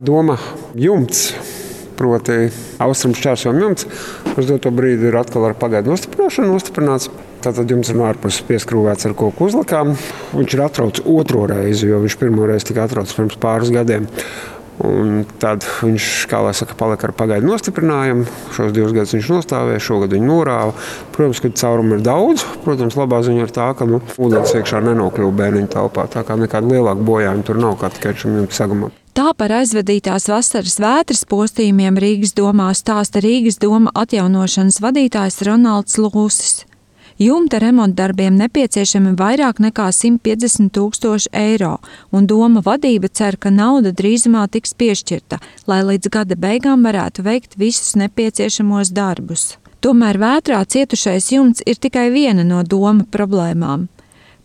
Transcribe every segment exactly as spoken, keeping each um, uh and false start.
Doma jumts, proti austrumu šķērsojuma jumts, uz doto brīdi ir atkal ar pagaidu nostiprināšanu nostiprināts. Tātad jumts ir no ārpuses pieskrūvēts ar koku uzlakām. Viņš ir atrauts otro reizi, jo viņš pirmo reizi tika atrauts pirms pāris gadiem. Un tad viņš, kā lai saka, palika ar pagaidu nostiprinājumu. Šos divus gadus viņš nostāvēja, šogad viņu norāva. Protams, ka caurumu ir daudz. Protams, labā ziņa ir tā, ka nu, ūdens iekšā nenokļuva bērniņu telpā. Tā kā nekāda lielāka bojājuma tur nav, kā tikai šim jumta sagumam. Tā par aizvadītās vasaras vētras postījumiem Rīgas domā stāsta Rīgas doma atjaunošanas vadītājs Ronalds Lūsis. Jumta remontdarbiem nepieciešami vairāk nekā simt piecdesmit tūkstoši eiro, un doma vadība cer, ka nauda drīzumā tiks piešķirta, lai līdz gada beigām varētu veikt visus nepieciešamos darbus. Tomēr vētrā cietušais jumts ir tikai viena no doma problēmām.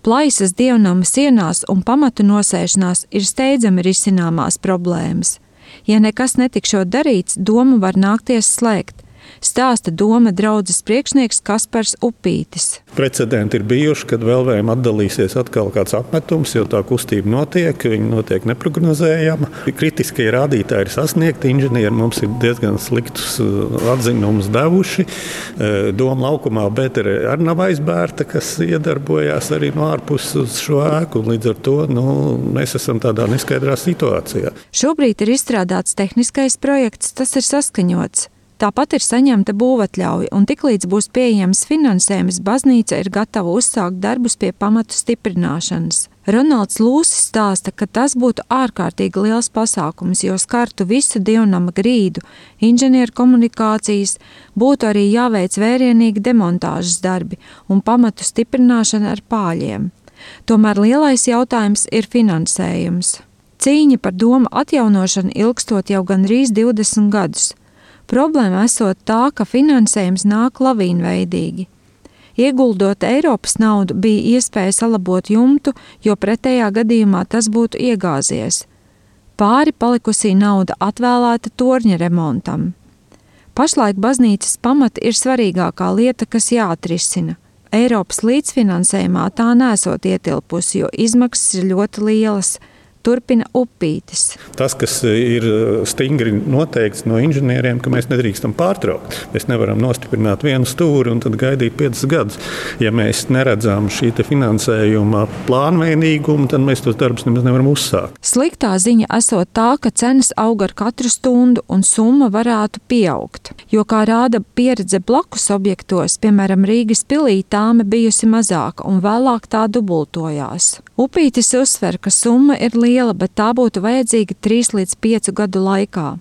Plaisas dievnama sienās un pamatu nosēšanās ir steidzami risināmās problēmas. Ja nekas netikšot darīts, domu var nākties slēgt. Stāsta doma draudzes priekšnieks Kaspars Upītis. Precedenti ir bijuši, kad Velvējam atdalīsies atkal kāds apmetums, jo tā kustība notiek, viņa notiek neprognozējama. Kritiskie rādītāji ir sasniegti, inženieri mums ir diezgan sliktus atzinumus devuši. Doma laukumā Betere arī nav aizbērta, kas iedarbojās arī no ārpuses uz šo ēku. Līdz ar to nu, mēs esam tādā neskaidrā situācijā. Šobrīd ir izstrādāts tehniskais projekts, tas ir saskaņots. Tāpat ir saņemta būvatļauja, un tiklīdz būs pieejams finansējums, baznīca ir gatava uzsākt darbus pie pamatu stiprināšanas. Ronalds Lūsis stāsta, ka tas būtu ārkārtīgi liels pasākums, jo skartu visu dievnama grīdu, inženieru komunikācijas, būtu arī jāveic vērienīgi demontāžas darbi un pamatu stiprināšana ar pāļiem. Tomēr lielais jautājums ir finansējums. Cīņa par domu atjaunošanu ilgstot jau gandrīz divdesmit gadus. Problēma esot tā, ka finansējums nāk lavīnveidīgi. Ieguldot Eiropas naudu, bija iespēja salabot jumtu, jo pretējā gadījumā tas būtu iegāzies. Pāri palikusī nauda atvēlēta torņa remontam. Pašlaik baznīcas pamati ir svarīgākā lieta, kas jāatrisina. Eiropas līdzfinansējumā tā nesot ietilpusi, jo izmaksas ir ļoti lielas. Turpina Upītis. Tas, kas ir stingri noteikts no inženieriem, ka mēs nedrīkstam pārtraukt. Mēs nevaram nostiprināt vienu stūri un tad gaidīt piecus gadus. Ja mēs neredzam šī finansējuma plānveidīgumu, tad mēs tos darbus nemaz nevaram uzsākt. Sliktā ziņa esot tā, ka cenas aug ar katru stundu un summa varētu pieaugt. Jo, kā rāda pieredze blakus objektos, piemēram Rīgas pilī, tāme bijusi mazāka un vēlāk tā dubultojās. Upītis uzsver, ka summa ir liela, bet tā būtu vajadzīga trīs līdz piecu gadu laikā.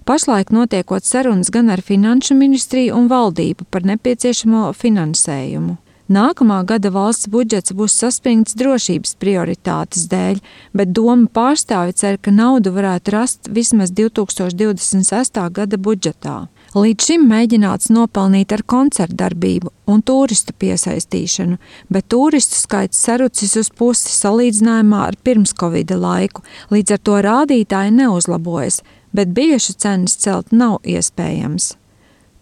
Pašlaik notiekot sarunas gan ar Finanšu ministriju un valdību par nepieciešamo finansējumu. Nākamā gada valsts budžets būs saspringts drošības prioritātes dēļ, bet doma pārstāvi cer, ka naudu varētu rast vismaz divi tūkstoši divdesmit sestā gada budžetā. Līdz šim mēģināts nopelnīt ar koncertdarbību un turistu piesaistīšanu, bet turistu skaits sarucis uz pusi salīdzinājumā ar pirms Covida laiku, līdz ar to rādītāji neuzlabojas, bet biļešu cenas celt nav iespējams.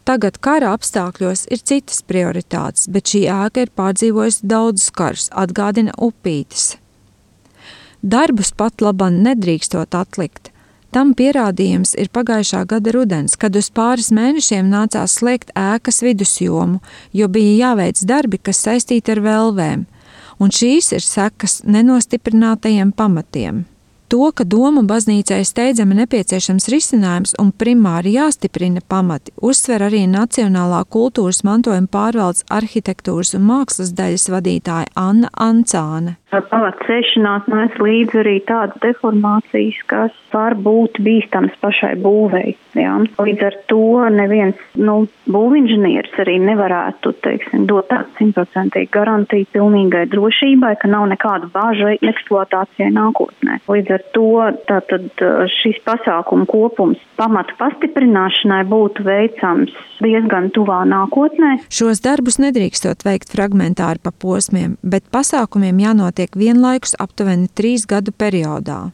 Tagad kara apstākļos ir citas prioritātes, bet šī ēka ir pārdzīvojusi daudzus karus, atgādina Upītis. Darbus pat laban nedrīkstot atlikt. Tam pierādījums ir pagājušā gada rudens, kad uz pāris mēnešiem nācās slēgt ēkas vidusjomu, jo bija jāveic darbi, kas saistīti ar velvēm, un šīs ir sekas nenostiprinātajiem pamatiem. To, ka doma baznīcai steidzami nepieciešams risinājums un primāri jāstiprina pamati, uzsver arī Nacionālā kultūras mantojuma pārvaldes arhitektūras un mākslas daļas vadītāja Anna Ancāne. Pamata cēšanās nes līdzi arī tādas deformācijas, kas var būt bīstams pašai būvei. Jā. Līdz ar to neviens nu, būvinženieris arī nevarētu teiksim, dot tādu simtprocentīgu garantiju pilnīgai drošībai, ka nav nekāda bāža eksploatācijai nākotnē. Līdz ar to tātad, šis pasākumu kopums pamatu pastiprināšanai būtu veicams diezgan tuvā nākotnē. Šos darbus nedrīkstot veikt fragmentāri pa posmiem, bet pasākumiem jānotiek vienlaikus aptuveni trīs gadu periodā.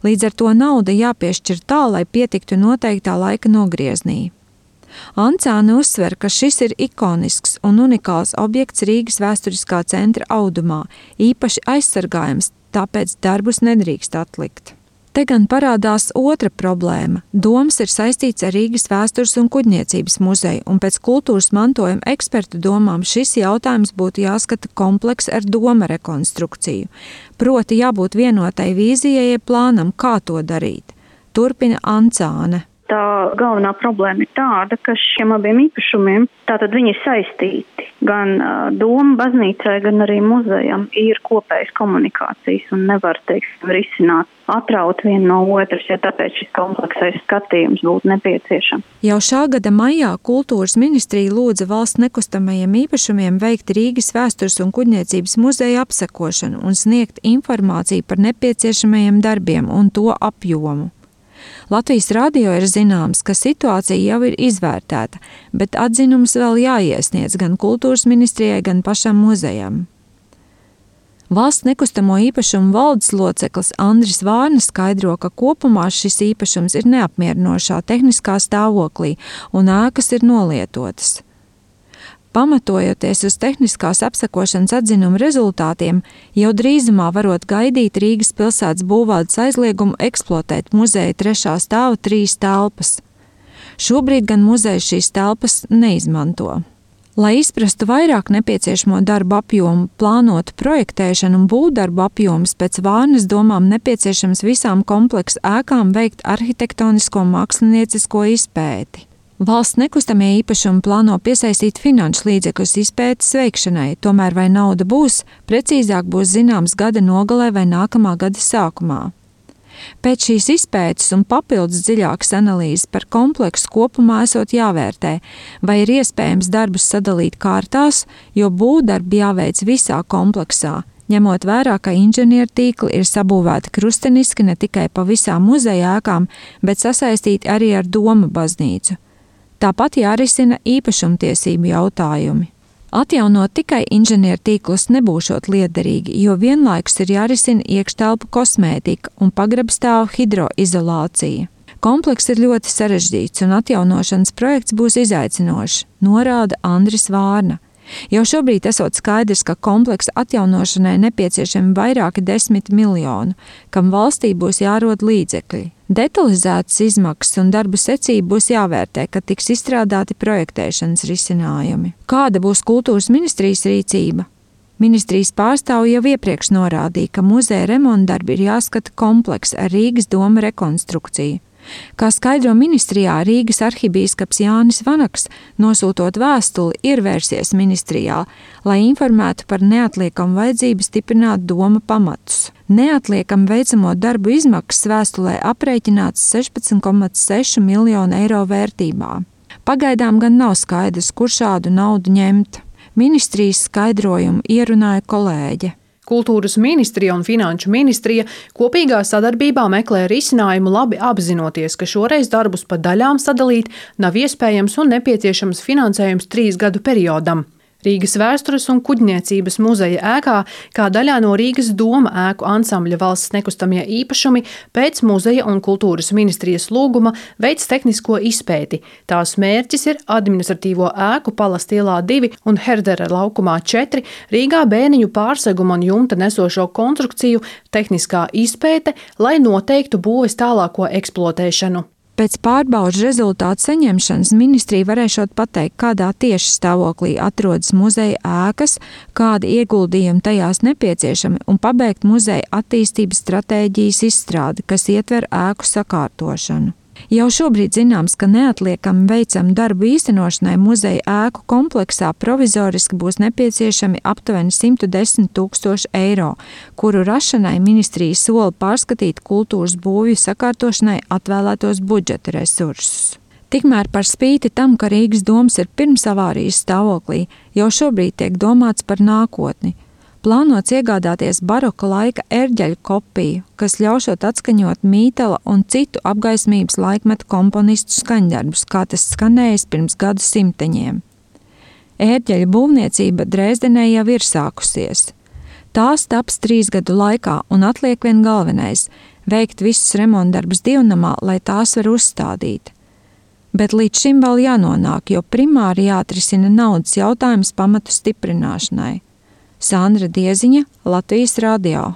Līdz ar to nauda jāpiešķir tā, lai pietiktu noteiktā laika nogrieznī. Ancāne uzsver, ka šis ir ikonisks un unikāls objekts Rīgas vēsturiskā centra audumā, īpaši aizsargājams, tāpēc darbus nedrīkst atlikt. Te gan parādās otra problēma. Doms ir saistīts ar Rīgas vēstures un kuģniecības muzeju, un pēc kultūras mantojuma ekspertu domām šis jautājums būtu jāskata kompleks ar doma rekonstrukciju. Proti jābūt vienotai vīzijai, jeb plānam, kā to darīt. Turpina Ancāne. Tā galvenā problēma ir tāda, ka šiem abiem īpašumiem, tātad viņi ir saistīti. Gan uh, doma baznīcai, gan arī muzejam ir kopējas komunikācijas un nevar, teiksim, risināt, atraut vienu no otras, ja tāpēc šis kompleksais skatījums būtu nepieciešams. Jau šā gada maijā kultūras ministrija lūdza valsts nekustamajiem īpašumiem veikt Rīgas vēstures un kuģniecības muzeja apsekošanu un sniegt informāciju par nepieciešamajiem darbiem un to apjomu. Latvijas radio ir zināms, ka situācija jau ir izvērtēta, bet atzinums vēl jāiesniedz gan kultūras ministrijai, gan pašam muzejam. Valsts nekustamo īpašumu valdes loceklis Andris Vārna skaidro, ka kopumā šis īpašums ir neapmierinošā tehniskā stāvoklī un ēkas ir nolietotas. Pamatojoties uz tehniskās apsekošanas atzinuma rezultātiem, jau drīzumā varot gaidīt Rīgas pilsētas būvvaldes aizliegumu eksploatēt muzeja trešā stāva trīs telpas. Šobrīd gan muzejs šīs telpas neizmanto. Lai izprastu vairāk nepieciešamo darbu apjomu, plānotu projektēšanu un būvdarbu apjomus, pēc Vārnas domām nepieciešams visām kompleksu ēkām veikt arhitektonisko māksliniecisko izpēti. Valsts nekustamie īpašumi plāno piesaistīt finanšu līdzekļus izpētes veikšanai, tomēr vai nauda būs, precīzāk būs zināms gada nogalē vai nākamā gada sākumā. Pēc šīs izpētes un papildus dziļākas analīzes par kompleksu kopumā esot jāvērtē, vai ir iespējams darbus sadalīt kārtās, jo būvdarbi jāveic visā kompleksā, ņemot vērā, ka inženieru tīkli ir sabūvēti krusteniski ne tikai pa visām muzeja ēkām, bet sasaistīti arī ar Doma baznīcu. Tāpat jārisina īpašumtiesību jautājumi. Atjaunot tikai inženieru tīklus nebūšot liederīgi, jo vienlaikus ir jārisina iekštelpu kosmētika un pagrabstāvu hidroizolācija. Kompleks ir ļoti sarežģīts un atjaunošanas projekts būs izaicinošs, norāda Andris Vārna. Jau šobrīd esot skaidrs, ka kompleksa atjaunošanai nepieciešami vairāki desmit miljonu, kam valstī būs jārod līdzekļi. Detalizētas izmaksas un darbu secība būs jāvērtē, kad tiks izstrādāti projektēšanas risinājumi. Kāda būs kultūras ministrijas rīcība? Ministrijas pārstāvji jau iepriekš norādīja, ka muzeja remontdarbi ir jāskata kompleks ar Rīgas doma rekonstrukciju. Kā skaidro ministrijā, Rīgas arhibīskaps Jānis Vanaks, nosūtot vēstuli, ir vērsies ministrijā, lai informētu par neatliekamu vajadzību stiprināt doma pamatus. Neatliekam veicamo darbu izmaksas vēstulē aprēķināts sešpadsmit komats seši miljonu eiro vērtībā. Pagaidām gan nav skaidrs, kur šādu naudu ņemt. Ministrijas skaidrojumu ierunāja kolēģe. Kultūras ministrija un finanšu ministrija kopīgā sadarbībā meklē risinājumu, labi apzinoties, ka šoreiz darbus pa daļām sadalīt nav iespējams un nepieciešams finansējums trīs gadu periodam. Rīgas vēstures un kuģniecības muzeja ēkā, kā daļā no Rīgas doma ēku ansambļa valsts nekustamie īpašumi, pēc muzeja un kultūras ministrijas lūguma veids tehnisko izpēti. Tās mērķis ir administratīvo ēku Palas ielā divi un Herdera laukumā četri, Rīgā bēniņu pārseguma un jumta nesošo konstrukciju tehniskā izpēte, lai noteiktu būves tālāko eksploatēšanu. Pēc pārbaudas rezultātu saņemšanas ministrija varēšot pateikt, kādā tieši stāvoklī atrodas muzeja ēkas, kādi ieguldījumi tajās nepieciešami un pabeigt muzeja attīstības stratēģijas izstrādi, kas ietver ēku sakārtošanu. Jau šobrīd zināms, ka neatliekami veicam darbu īstenošanai muzeja ēku kompleksā provizoriski būs nepieciešami aptuveni simt desmit tūkstoši eiro, kuru rašanai ministrija sola pārskatīt kultūras būvju sakārtošanai atvēlētos budžeta resursus. Tikmēr par spīti tam, ka Rīgas domas ir pirms avārijas stāvoklī, jau šobrīd tiek domāts par nākotni. Plānots iegādāties baroka laika ērģeļu kopiju, kas ļaušot atskaņot Mītela un citu apgaismības laikmetu komponistu skaņdarbus, kā tas skanējis pirms gadu simteņiem. Ērģeļu būvniecība Dresdenē jau ir sākusies. Tās taps trīs gadu laikā un atliek vien galvenais – veikt visus remontdarbus divnamā, lai tās var uzstādīt. Bet līdz šim vēl jānonāk, jo primāri jāatrisina naudas jautājums pamatu stiprināšanai. Sandra Dieziņa, Latvijas radio.